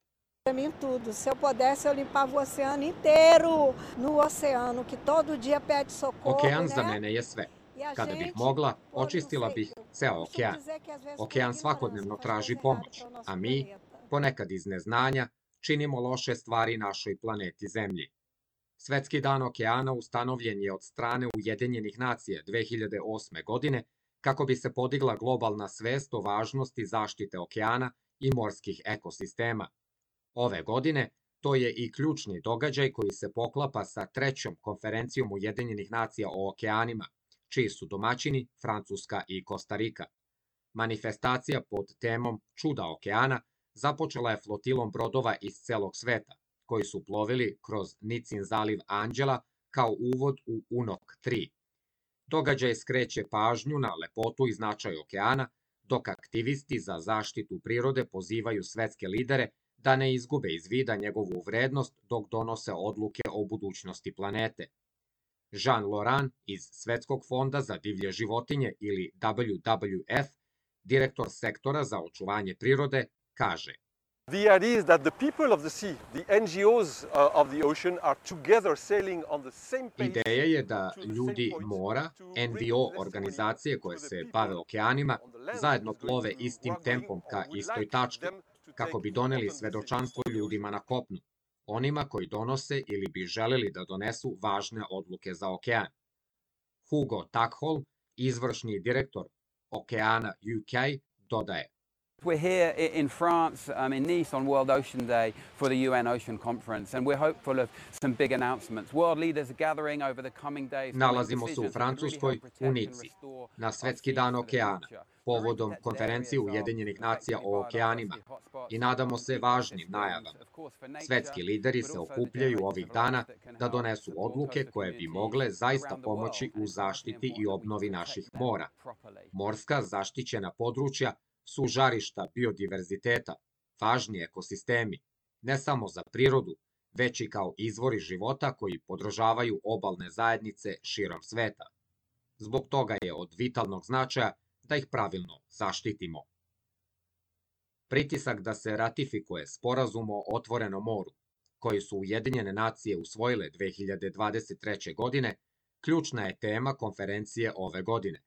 Para mim tudo. Se eu pudesse, eu limpava o oceano inteiro, no oceano, que todo dia pede socorro, Okean né? za mene je sve. Kada bih mogla, očistila bih ceo okean. Okean svakodnevno traži pomoć, a mi, ponekad iz neznanja, činimo loše stvari našoj planeti Zemlji. Svetski dan okeana ustanovljen je od strane Ujedinjenih nacija dve hiljade osme. godine kako bi se podigla globalna svest o važnosti zaštite okeana i morskih ekosistema. Ove godine to je i ključni događaj koji se poklapa sa trećom konferencijom Ujedinjenih nacija o okeanima, čiji su domaćini Francuska i Kostarika. Manifestacija pod temom Čuda okeana započela je flotilom brodova iz celog sveta, koji su plovili kroz Nicin zaliv Anđela kao uvod u U N O C tri. Događaj skreće pažnju na lepotu i značaj okeana, dok aktivisti za zaštitu prirode pozivaju svetske lidere da ne izgube iz vida njegovu vrednost dok donose odluke o budućnosti planete. Jean Laurent iz Svetskog fonda za divlje životinje ili W W F, direktor sektora za očuvanje prirode, kaže: The idea is that the people of the sea, the N G Os of the ocean are together sailing on the same pace. Ideja je da ljudi mora, N V O organizacije koje se bave okeanima, zajedno plove istim tempom ka istoj tački, kako bi doneli svedočanstvo ljudima na kopnu, onima koji donose ili bi želeli da donesu važne odluke za okean. Hugo Tackholm, izvršni direktor Okeana U K, dodaje: We're here in France, um, in Nice on World Ocean Day for the U N Ocean Conference, and we're hopeful of some big announcements. World leaders are gathering over the coming days. Nalazimo se u Francuskoj, u Nici, na Svetski dan okeana, povodom konferencije Ujedinjenih nacija o okeanima, i nadamo se važnim najavama. Svetski lideri se okupljaju ovih dana da donesu odluke koje bi mogle zaista pomoći u zaštiti i obnovi naših mora. Morska zaštićena područja su žarišta biodiverziteta, važni ekosistemi, ne samo za prirodu, već i kao izvori života koji podržavaju obalne zajednice širom sveta. Zbog toga je od vitalnog značaja da ih pravilno zaštitimo. Pritisak da se ratifikuje Sporazum o otvorenom moru, koji su Ujedinjene nacije usvojile dve hiljade dvadeset treće. godine, ključna je tema konferencije ove godine.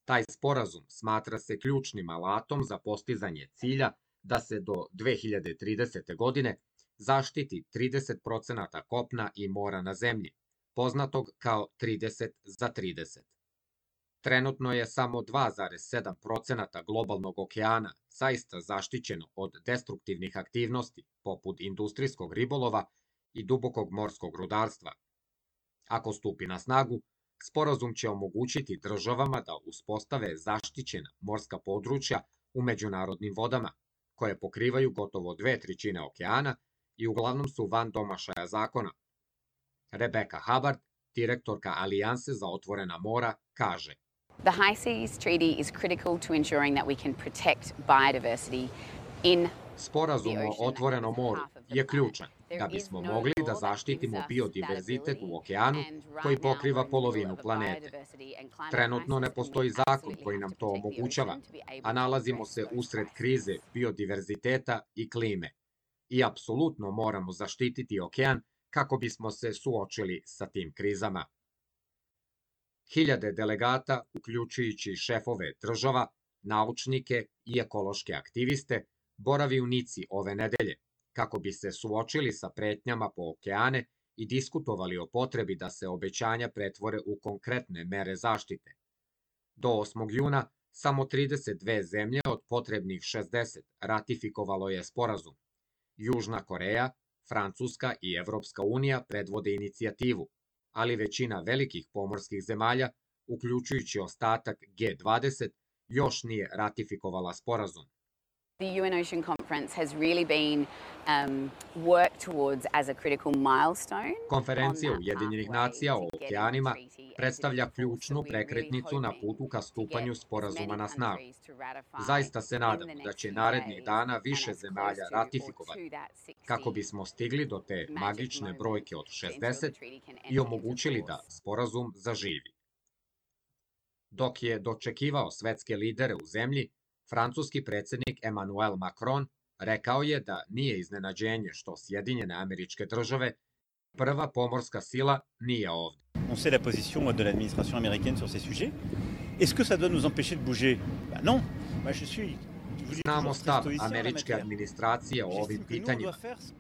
Taj sporazum smatra se ključnim alatom za postizanje cilja da se do dve hiljade tridesete. godine zaštiti trideset procenata kopna i mora na zemlji, poznatog kao trideset za trideset. Trenutno je samo dva zarez sedam procenata globalnog okeana zaista zaštićeno od destruktivnih aktivnosti, poput industrijskog ribolova i dubokog morskog rudarstva. Ako stupi na snagu, sporazum će omogućiti državama da uspostave zaštićena morska područja u međunarodnim vodama, koje pokrivaju gotovo dve trećine okeana i uglavnom su van domašaja zakona. Rebecca Hubbard, direktorka Alijanse za otvorena mora, kaže: The High Seas Treaty is critical to ensuring that we can protect biodiversity in Sporazum o otvorenom moru je ključan da bismo mogli da zaštitimo biodiverzitet u okeanu koji pokriva polovinu planete. Trenutno ne postoji zakon koji nam to omogućava, a nalazimo se usred krize biodiverziteta i klime. I apsolutno moramo zaštititi okean kako bismo se suočili sa tim krizama. Hiljade delegata, uključujući šefove država, naučnike i ekološke aktiviste, boravi u Nici ove nedelje, kako bi se suočili sa pretnjama po okeane i diskutovali o potrebi da se obećanja pretvore u konkretne mere zaštite. Do osmog juna samo trideset dve zemlje od potrebnih šezdeset ratifikovalo je sporazum. Južna Koreja, Francuska i Evropska unija predvode inicijativu, ali većina velikih pomorskih zemalja, uključujući ostatak G dvadeset, još nije ratifikovala sporazum. The U N Ocean Conference has really been um, worked towards as a critical milestone. Konferencija Ujedinjenih nacija o okeanima predstavlja ključnu prekretnicu na putu ka stupanju sporazuma na snagu. Zaista se nadamo da će narednih dana više zemalja ratifikovati, kako bismo stigli do te magične brojke od šezdeset i omogućili da sporazum zaživi. Dok je dočekivao svetske lidere u zemlji, francuski predsjednik Emmanuel Macron rekao je da nije iznenađenje što Sjedinjene Američke Države, prva pomorska sila, nije ovdje. On sait la position de l'administration américaine sur ces sujets. Est-ce que ça doit nous empêcher de bouger? Bah non. Moi je suis Znamo stav američke administracije o ovim pitanjima.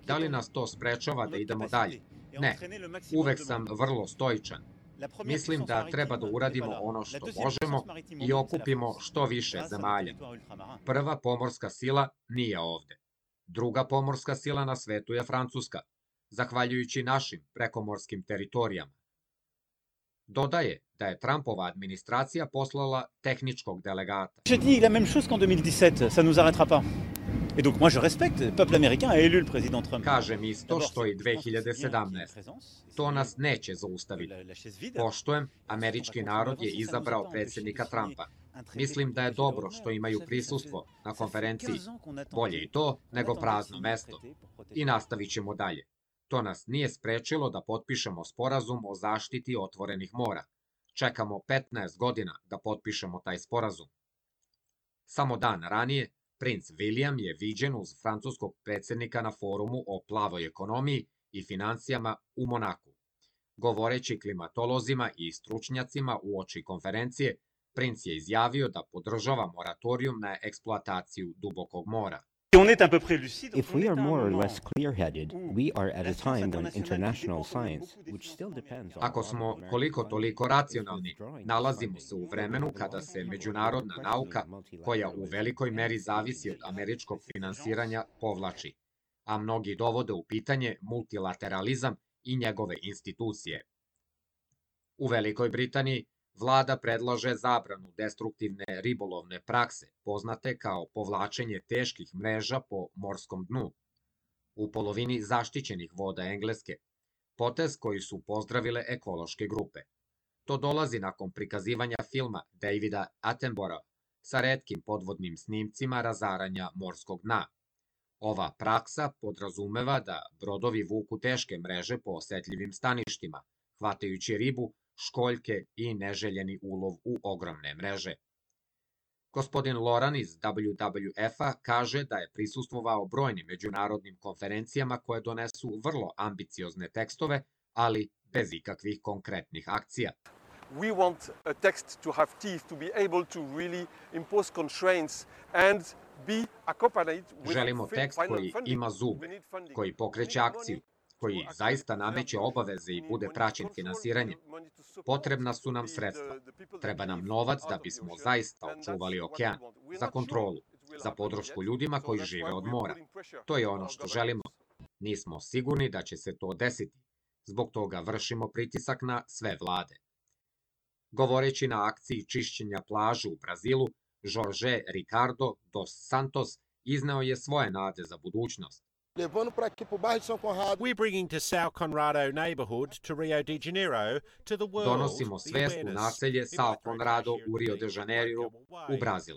Da li nas to sprečava da idemo dalje? Ne. Uvek sam vrlo stoičan. Mislim da treba da uradimo ono što možemo i okupimo što više zemalja. Prva pomorska sila nije ovde. Druga pomorska sila na svetu je Francuska, zahvaljujući našim prekomorskim teritorijama. Dodaje da je Trumpova administracija poslala tehničkog delegata. Je dis la même chose qu'en deux mille dix-sept, ça nous arrêtera pas. Et donc moi je respecte, le peuple américain a élu le président Trump. Kažem isto što i dve hiljade sedamnaeste. To nas neće zaustaviti. Poštujem, američki narod je izabrao predsjednika Trumpa. Mislim da je dobro što imaju prisustvo na konferenciji. Bolje i to nego prazno mesto. I nastavit ćemo dalje. To nas nije sprečilo da potpišemo sporazum o zaštiti otvorenih mora. Čekamo petnaest godina da potpišemo taj sporazum. Samo dan ranije, princ William je viđen uz francuskog predsjednika na forumu o plavoj ekonomiji i financijama u Monaku. Govoreći klimatolozima i stručnjacima uoči konferencije, princ je izjavio da podržava moratorijum na eksploataciju dubokog mora. If we are more or less clear-headed, we are at a time when international science, which still depends on... Ako smo koliko toliko racionalni, nalazimo se u vremenu kada se međunarodna nauka, koja u velikoj meri zavisi od američkog finansiranja, povlači, a mnogi dovode u pitanje multilateralizam i njegove institucije. U Velikoj Britaniji vlada predlaže zabranu destruktivne ribolovne prakse, poznate kao povlačenje teških mreža po morskom dnu, u polovini zaštićenih voda Engleske, potez koji su pozdravile ekološke grupe. To dolazi nakon prikazivanja filma Davida Attenborougha sa retkim podvodnim snimcima razaranja morskog dna. Ova praksa podrazumeva da brodovi vuku teške mreže po osetljivim staništima, hvatajući ribu, školjke i neželjeni ulov u ogromne mreže. Gospodin Loran iz W W F-a kaže da je prisustvovao brojnim međunarodnim konferencijama koje donesu vrlo ambiciozne tekstove, ali bez ikakvih konkretnih akcija. We want a text to have teeth, to be able to really impose constraints and be accompanied with Želimo tekst koji ima zube, koji pokreće akciju, koji zaista nameće obaveze i bude praćen finansiranjem. Potrebna su nam sredstva. Treba nam novac da bismo zaista očuvali okean, za kontrolu, za podršku ljudima koji žive od mora. To je ono što želimo. Nismo sigurni da će se to desiti. Zbog toga vršimo pritisak na sve vlade. Govoreći na akciji čišćenja plažu u Brazilu, Jorge Ricardo dos Santos izneo je svoje nade za budućnost. We're bringing to São Conrado neighborhood to Rio de Janeiro to the world. Donosimo svest u naselje São Conrado u Rio de Janeiro u Brazil.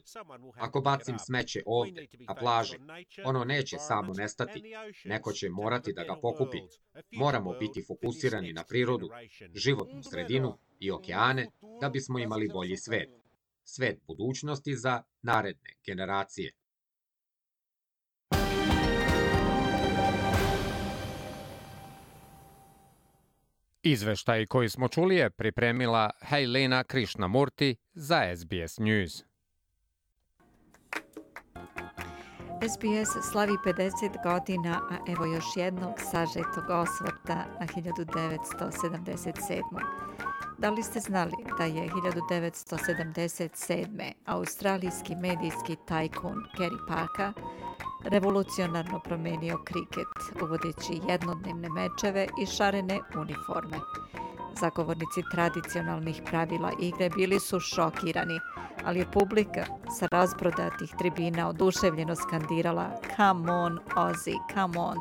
Ako bacim smeće ovde, na plaži, ono neće samo nestati. Neko će morati da ga pokupi. Moramo biti fokusirani na prirodu, životnu sredinu i okeane da bismo imali bolji svet. Svet budućnosti za naredne generacije. Izveštaj koji smo čuli je pripremila Hailena Krishnamurti za S B S News. S B S slavi pedeset godina, a evo još jednog sažetog osvrta na hiljadu devetsto sedamdeset sedmu. Da li ste znali da je hiljadu devetsto sedamdeset sedme. australijski medijski tajkun Kerry Packer revolucionarno promenio kriket, uvodeći jednodnevne mečeve i šarene uniforme. Zagovornici tradicionalnih pravila igre bili su šokirani, ali je publika sa razprodatih tribina oduševljeno skandirala "Come on, Aussie, come on!"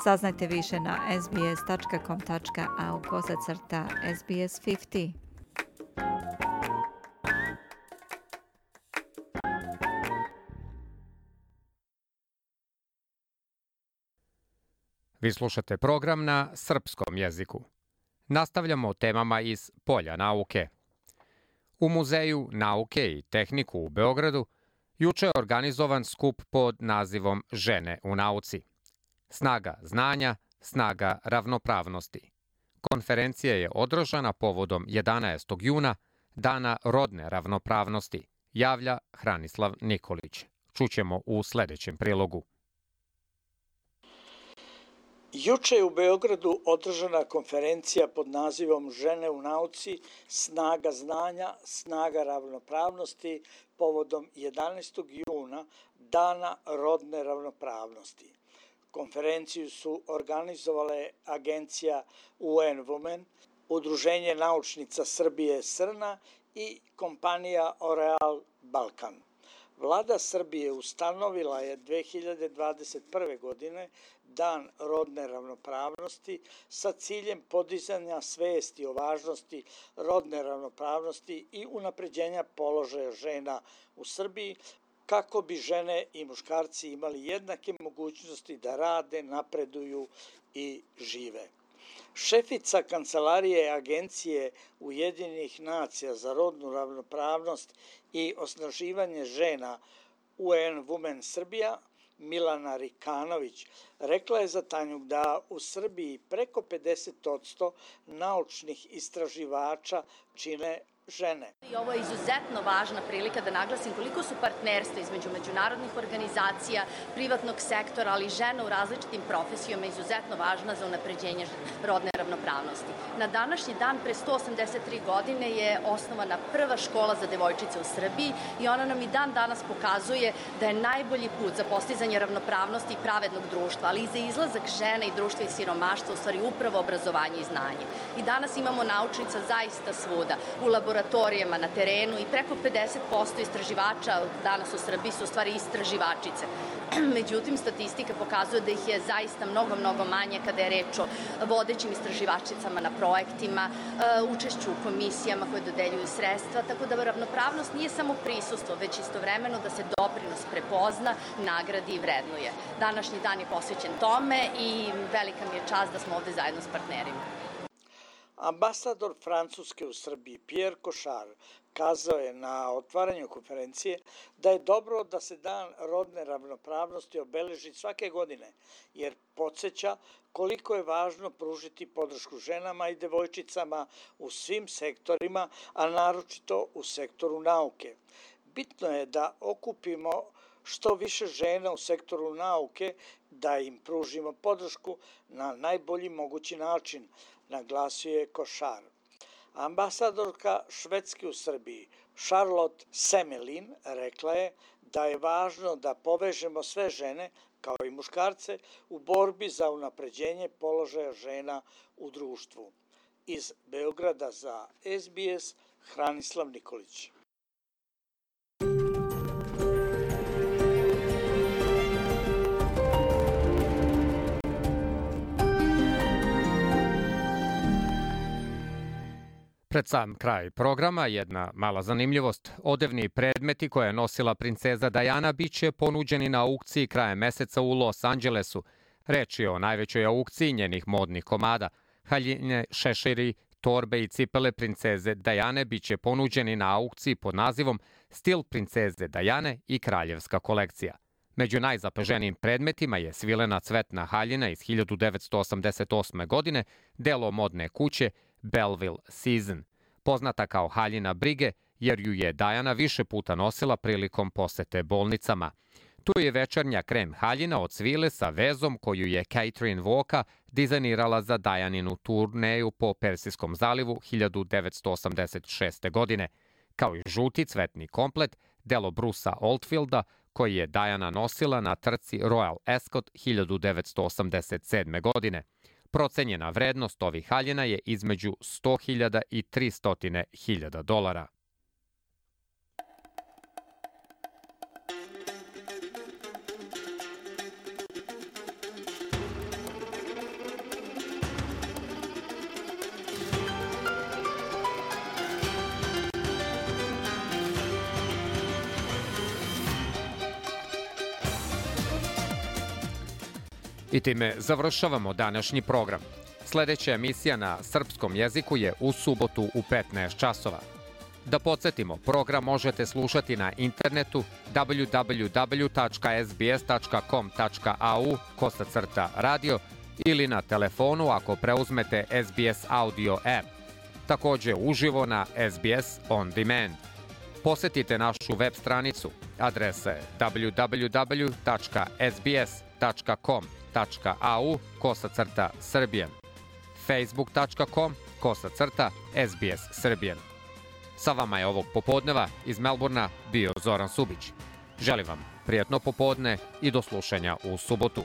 Saznajte više na s b s tačka com tačka a u kozacrta S B S pedeset. Vi slušate program na srpskom jeziku. Nastavljamo temama iz polja nauke. U Muzeju nauke i tehniku u Beogradu juče je organizovan skup pod nazivom Žene u nauci. Snaga znanja, snaga ravnopravnosti. Konferencija je održana povodom jedanaestog juna, Dana rodne ravnopravnosti, javlja Hranislav Nikolić. Čućemo u sljedećem prilogu. Juče je u Beogradu održana konferencija pod nazivom Žene u nauci, snaga znanja, snaga ravnopravnosti povodom jedanaestog juna, Dana rodne ravnopravnosti. Konferenciju su organizovale agencija U N Women, Udruženje naučnica Srbije Srna i kompanija Oreal Balkan. Vlada Srbije ustanovila je dve hiljade dvadeset prve. godine Dan rodne ravnopravnosti sa ciljem podizanja svesti o važnosti rodne ravnopravnosti i unapređenja položaja žena u Srbiji, kako bi žene i muškarci imali jednake mogućnosti da rade, napreduju i žive. Šefica Kancelarije Agencije Ujedinjenih nacija za rodnu ravnopravnost i osnaživanje žena U N Women Srbija, Milana Rikanović, rekla je za Tanjug da u Srbiji preko pedeset posto naučnih istraživača čine žene. I ovo je izuzetno važna prilika da naglasim koliko su partnerstva između međunarodnih organizacija, privatnog sektora, ali i žena u različitim profesijama izuzetno važna za unapređenje rodne ravnopravnosti. Na današnji dan pre sto osamdeset tri godine je osnovana prva škola za devojčice u Srbiji i ona nam i dan danas pokazuje da je najbolji put za postizanje ravnopravnosti i pravednog društva, ali i za izlazak žena i društva iz siromaštva u stvari upravo obrazovanje i znanje. I danas imamo naučnica zaista svuda, u laboratorijama, na terenu i preko pedeset posto istraživača danas u Srbiji su u stvari istraživačice. Međutim, statistika pokazuje da ih je zaista mnogo, mnogo manje kada je reč o vodećim istraživačicama na projektima, učešću u komisijama koje dodeljuju sredstva, tako da ravnopravnost nije samo prisustvo, već istovremeno da se doprinos prepozna, nagradi i vrednuje. Današnji dan je posvećen tome i velika mi je čast da smo ovde zajedno s partnerima. Ambasador Francuske u Srbiji Pierre Cochard kazao je na otvaranju konferencije da je dobro da se Dan rodne ravnopravnosti obeleži svake godine, jer podsjeća koliko je važno pružiti podršku ženama i devojčicama u svim sektorima, a naročito u sektoru nauke. Bitno je da okupimo što više žena u sektoru nauke, da im pružimo podršku na najbolji mogući način, naglasio je Cochard. Ambasadorka Švedske u Srbiji Charlotte Semelin rekla je da je važno da povežemo sve žene, kao i muškarce, u borbi za unapređenje položaja žena u društvu. Iz Beograda za S B S, Hranislav Nikolić. Pred sam kraj programa jedna mala zanimljivost. Odevni predmeti koje je nosila princeza Diana biće ponuđeni na aukciji krajem meseca u Los Angelesu. Reč je o najvećoj aukciji njenih modnih komada. Haljine, šeširi, torbe i cipele princeze Diane biće ponuđeni na aukciji pod nazivom Stil princeze Diane i kraljevska kolekcija. Među najzapaženijim predmetima je svilena cvetna haljina iz hiljadu devetsto osamdeset osme. godine, delo modne kuće Belleville Season, poznata kao haljina brige jer ju je Diana više puta nosila prilikom posete bolnicama. Tu je večernja krem haljina od svile sa vezom koju je Catherine Walker dizajnirala za Dianinu turneju po Persijskom zalivu hiljadu devetsto osamdeset šeste. godine, kao i žuti cvetni komplet, delo Brusa Oldfielda, koji je Diana nosila na trci Royal Ascot hiljadu devetsto osamdeset sedme. godine. Procenjena vrednost ovih haljina je između sto hiljada i tristo hiljada dolara. I time završavamo današnji program. Sljedeća emisija na srpskom jeziku je u subotu u petnaest časova. Da podsjetimo, program možete slušati na internetu w w w tačka s b s tačka com tačka a u kosacrta radio ili na telefonu ako preuzmete S B S Audio app. Također uživo na S B S On Demand. Posjetite našu web stranicu. Adresa je w w w tačka s b s tačka com tačka a u kosacrta Srbijan. facebook tačka com kosacrta S B S Srbijan. Sa vama je ovog popodneva iz Melburna bio Zoran Subić. Želim vam prijatno popodne i do slušanja u subotu.